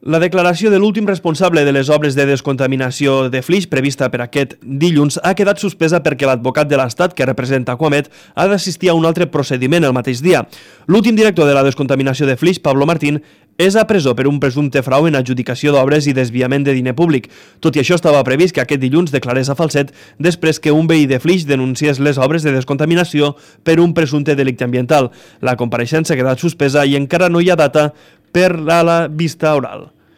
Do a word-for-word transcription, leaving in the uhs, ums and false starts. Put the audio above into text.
La declaració de l'últim responsable de les obres de descontaminació de Flix, prevista per aquest dilluns, ha quedat suspesa perquè l'advocat de l'Estat, que representa Acuamed, ha d'assistir a un altre procediment el mateix dia. L'últim director de la descontaminació de Flix, Pablo Martín, és a presó per un presumpte frau en adjudicació d'obres i desviament de diner públic. Tot i això, estava previst que aquest dilluns declarés a falset després que un veí de Flix denunciés les obres de descontaminació per un presumpte delicte ambiental. La compareixença ha quedat suspesa i encara no hi ha data per a la vista oral.